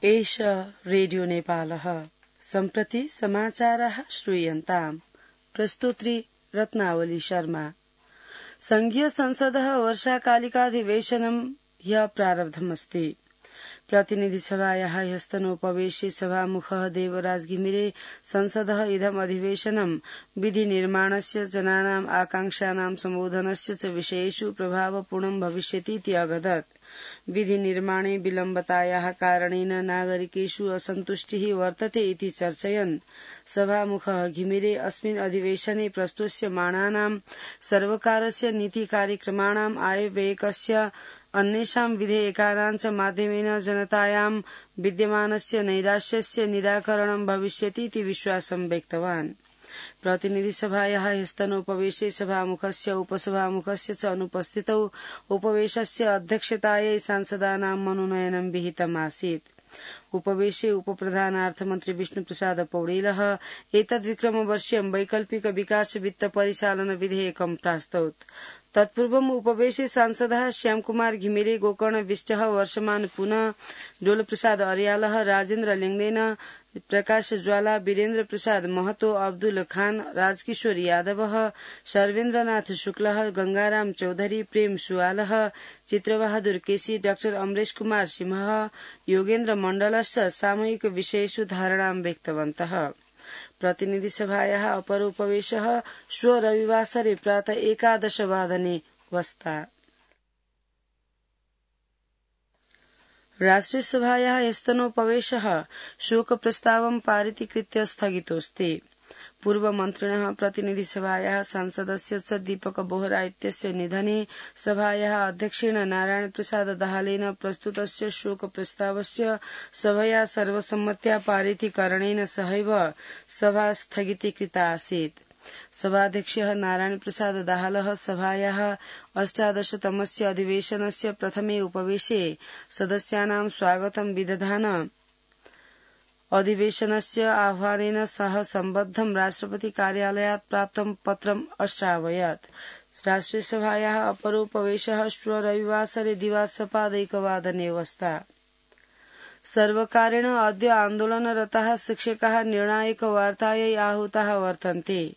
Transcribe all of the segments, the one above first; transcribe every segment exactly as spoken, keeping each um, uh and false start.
एष रेडियो नेपालः सम्प्रति समाचाराः श्रूयन्ताम्। प्रस्तुत्री रत्नावली शर्मा। संघीय संसदः वर्षाकालिकाधिवेशनं ह्यः प्रारब्धमस्ति। प्रतिनिधि सभायाः ह्यस्तनोपवेशे सभामुखः देवराज घिमिरे संसदः इदम् अधिवेशनं विधि निर्माणस्य जनानाम् आकांक्षानां सम्बोधनस्य च विषयेषु प्रभावपूर्णं भविष्यतीति अगदत्। विधि निर्माणे विलम्बतायाः कारणेन नागरिकेषु असन्तुष्टिः वर्तते इति चर्चयन् सभामुखः घिमिरे अस्मिन् अधिवेशने प्रस्तुष्यमाणानां सर्वकारस्य नीति कार्यक्रमाणाम् आयव्ययकस्य अन्येषां विधेयकानां च माध्यमेन जनतायां विद्यमानस्य नैराश्यस्य निराकरणं भविष्यतीति विश्वासं व्यक्तवान्। प्रतिनिधि सभायाः ह्यस्तनोपवेशे सभामुखस्य उपसभामुखस्य च अनुपस्थितौ उपवेशस्य अध्यक्षतायै सांसदानां मनोनयनं विहितमासीत्। उपवेशे उपप्रधानार्थमन्त्री विष्णुप्रसाद पौडेलः एतद्विक्रमवर्षीयं वैकल्पिक विकास वित्त परिचालन विधेयकं प्रास्तौत्। तत्पूर्वम् उपवेशे सांसदः श्यामकुमार घिमिरे, गोकर्ण विष्टः, वर्षमान पुनः, डोलप्रसाद अर्यालः, राजेन्द्र लेङदेन, प्रकाश ज्वाला, वीरेन्द्र प्रसाद महतो, अब्दुल खान, राजकिशोर यादवः, सर्वेन्द्रनाथ शुक्लः, गंगाराम चौधरी, प्रेम सुवालः, चित्रबहादुर केसी, डाक्टर अमरेश कुमार सिंहः, योगेन्द्र मण्डलश्च सामूहिक विषयेषु धारणां व्यक्तवन्तः। प्रतिनिधि सभायाः अपरोपवेशः श्व रविवासरे प्रातः एकादशवादने वस्ता। राष्ट्रियसभायाः ह्यस्तनोपवेशः शोकप्रस्तावं पारितीकृत्य स्थगितोऽस्ति। पूर्वमन्त्रिणः प्रतिनिधिसभायाः सांसदस्य च दीपक बोहरा इत्यस्य निधने सभायाः अध्यक्षेण नारायण प्रसाद दाहालेन प्रस्तुतस्य शोकप्रस्तावस्य सभया सर्वसम्मत्या पारितीकरणेन सहैव सभा स्थगितीकृता आसीत्। सभाध्यक्षः नारायण प्रसाद दाहालः सभायाः अष्टादशतमस्य अधिवेशनस्य प्रथमे उपवेशे सदस्यानां स्वागतं विदधान अधिवेशनस्य आह्वानेन सह सम्बद्धं राष्ट्रपति कार्यालयात् प्राप्तं पत्रम् अश्रावयत्। राष्ट्रियसभायाः अपरोपवेशः श्व रविवासरे दिवासपादैकवादने वस्ता। सर्वकारेण अद्य आन्दोलनरताः शिक्षकाः निर्णायकवार्तायै आहूताः वर्तन्ते।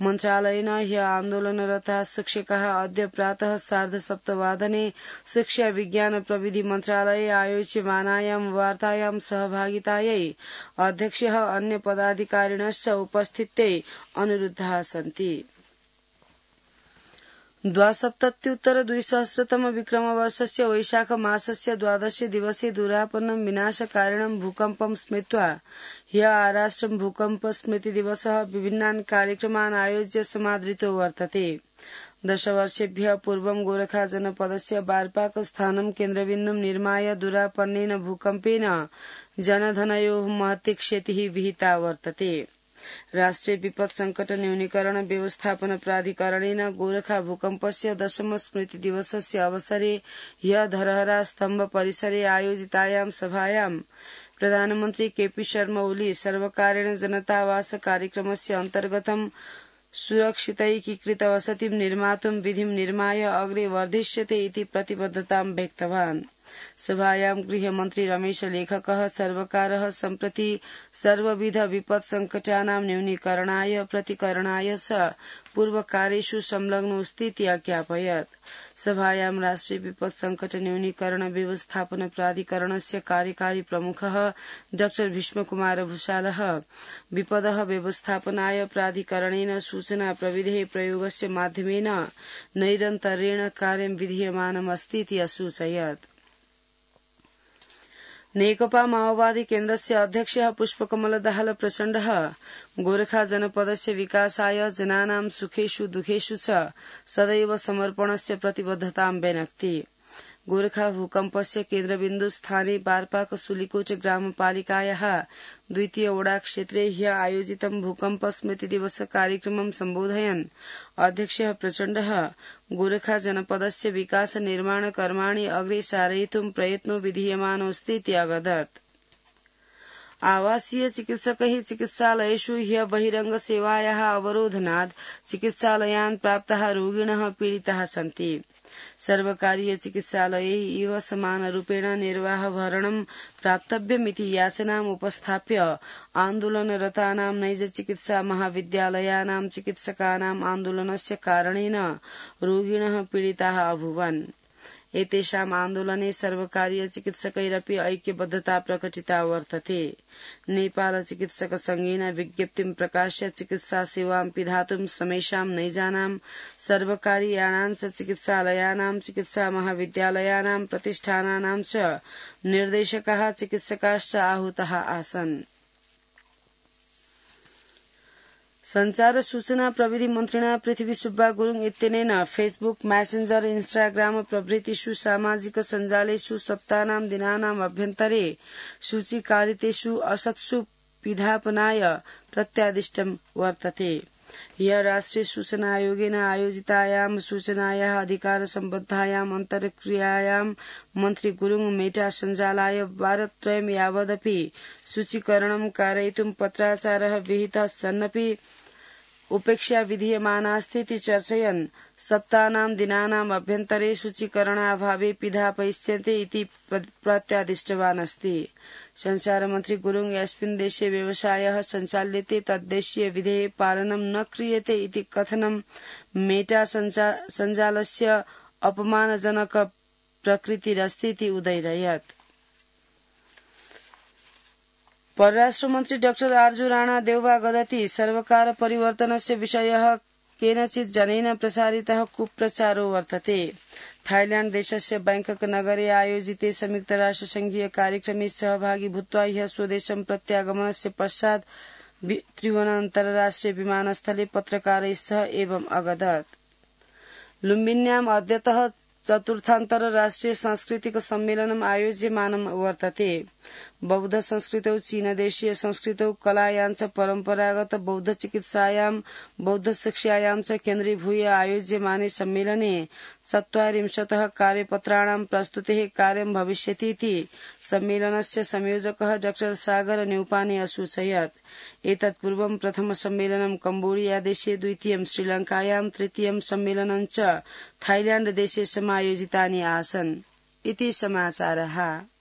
मन्त्रालयेन ह्यः आन्दोलनरताः शिक्षकाः अद्य प्रातः सार्धसप्तवादने शिक्षा विज्ञान प्रविधि मन्त्रालये आयोज्यमानायां वार्तायां सहभागितायै अध्यक्षः अन्य पदाधिकारिणश्च उपस्थित्यै अनुरुद्धाः सन्ति। द्वासप्तत्युत्तर द्विसहस्रतम विक्रमवर्षस्य वैशाख मासस्य द्वादशे दिवसे दुरापन्नं विनाशकारिणं भूकम्पं स्मृत्वा ह्यः आराष्ट्रं भूकम्प स्मृति दिवसः विभिन्नान् कार्यक्रमान् आयोज्य समादृतो वर्तते। दशवर्षेभ्यः पूर्वं गोरखा जनपदस्य बारपाक स्थानं केन्द्रबिन्दुं निर्माय दुरापन्नेन भूकम्पेन जनधनयोः महती क्षतिः विहिता वर्तते। राष्ट्रिय विपत् संकट न्यूनीकरण व्यवस्थापन प्राधिकरणेन गोरखा भूकम्पस्य दशम स्मृति दिवसस्य अवसरे ह्यः धरहरा स्तम्भ परिसरे आयोजितायां सभायां प्रधानमन्त्री केपी शर्मा ओली सर्वकारेण जनतावास कार्यक्रमस्य अन्तर्गतं सुरक्षितैकीकृत वसतिं निर्मातुं विधिं निर्माय अग्रे वर्धिष्यते इति प्रतिबद्धतां व्यक्तवान्। सभायां गृहमन्त्री रमेश लेखकः सर्वकारः सम्प्रति सर्वविध विपत् संकटानां न्यूनीकरणाय प्रतिकरणाय च पूर्वकार्येषु संलग्नोऽस्तीति अज्ञापयत्। सभायां राष्ट्रिय विपत् संकट न्यूनीकरण व्यवस्थापन प्राधिकरणस्य कार्यकारी प्रमुखः डाक्टर भीष्मकुमार भूषालः विपदः व्यवस्थापनाय प्राधिकरणेन सूचना प्रविधेः प्रयोगस्य माध्यमेन नैरन्तर्येण कार्यं विधीयमानमस्तीति असूचयत्। नेकपा माओवादी केन्द्रस्य अध्यक्षः पुष्पकमल दाहाल प्रचण्डः गोरखा जनपदस्य विकासाय जनानां सुखेषु दुखेषु च सदैव समर्पणस्य प्रतिबद्धतां व्यनक्ति। गोरखा भूकम्पस्य केन्द्रबिन्दु स्थाने बारपाक सुलिकोट ग्रामपालिकायाः द्वितीय वडा क्षेत्रे ह्यः आयोजितं भूकम्प स्मृति दिवस कार्यक्रमं सम्बोधयन् अध्यक्षः प्रचण्डः गोरखा जनपदस्य विकास निर्माण कर्माणि अग्रे सारयितुं प्रयत्नो विधीयमानोऽस्तीति अगदत्। आवासीय चिकित्सकैः चिकित्सालयेषु ह्यः बहिरंग सेवायाः अवरोधनात् चिकित्सालयान् प्राप्ताः रोगिणः पीडिताः सन्ति। सर्वकारीय चिकित्सालये इव समानरूपेण निर्वाहभरणं प्राप्तव्यमिति याचनाम् उपस्थाप्य आन्दोलनरतानां नैज चिकित्सा महाविद्यालयानां चिकित्सकानाम् आन्दोलनस्य कारणेन रोगिणः पीडिताः अभूवन्। एतेषाम् आन्दोलने सर्वकारीय चिकित्सकैरपि ऐक्यबद्धता प्रकटिता वर्तते। नेपाल चिकित्सक संघेन विज्ञप्तिं प्रकाश्य चिकित्सा सेवां पिधातुं समेषां नैजानां सर्वकारीयाणां च चिकित्सालयानां चिकित्सा महाविद्यालयानां प्रतिष्ठानानां च निर्देशकाः चिकित्सकाश्च आहूताः आसन्। संचार सूचना प्रविधि मन्त्रिणा पृथ्वी सुब्बा गुरुङ इत्यनेन फेसबुक मैसेंजर इन्स्टाग्राम प्रभृतिषु सामाजिक सञ्जालेषु सप्तानां दिनानाम् अभ्यन्तरे सूचीकारितेषु असत्सु पिधापनाय प्रत्यादिष्टं वर्तते। ह्यः राष्ट्रिय सूचना आयोगेन आयोजितायां सूचनायाः अधिकार सम्बद्धायाम् अन्तर्क्रियायां मन्त्री गुरुङ मेटा सञ्जालाय वारत्रयं यावदपि सूचीकरणं कारयितुं पत्राचारः विहितः सन्नपि उपेक्षा विधीयमानास्तीति चर्चयन् सप्तानां दिनानाम् अभ्यन्तरे सूचीकरणाभावे पिधापयिष्यन्ते इति प्रत्यादिष्टवान् अस्ति। संचारमन्त्री गुरुङ यस्मिन् देशे व्यवसायः सञ्चाल्यते तद्देशीय विधेः पालनं न क्रियते इति कथनं मेटा सञ्जालस्य अपमानजनक प्रकृतिरस्तीति उदयरयत्। परराष्ट्रमन्त्री डाक्टर आर्जु राणा देउबा गदति सर्वकार परिवर्तनस्य विषयः केनचित् जनेन प्रसारितः कुप्रचारो वर्तते। थाईलैण्ड देशस्य बैंकक नगरे आयोजिते संयुक्तराष्ट्रसङ्घीय कार्यक्रमे सहभागी भूत्वा ह्यः स्वदेशं प्रत्यागमनस्य पश्चात् त्रिभुवन अन्तर्राष्ट्रिय विमानस्थले पत्रकारैः सह एवम् अगदत्। लुम्बिन्याम् अद्यतः चतुर्थान्तरराष्ट्रिय सांस्कृतिक सम्मेलनम् आयोज्यमानं वर्तते। बौद्ध संस्कृतौ चीनदेशीय संस्कृतौ कलायां परम्परागत बौद्ध चिकित्सायां बौद्ध शिक्षायां च केन्द्रीभूय आयोज्यमाने सम्मेलने चत्वारिंशतः कार्यपत्राणां प्रस्तुतेः कार्यं भविष्यतीति सम्मेलनस्य संयोजकः डॉक्टर सागर न्यौपाने असूचयत्। एतत् पूर्वं प्रथम सम्मेलनं कम्बोडिया देशे, द्वितीयं श्रीलङ्कायां, तृतीयं सम्मेलनं च थाईलैण्ड देशे समायोजितानि आसन् इति समाचारः।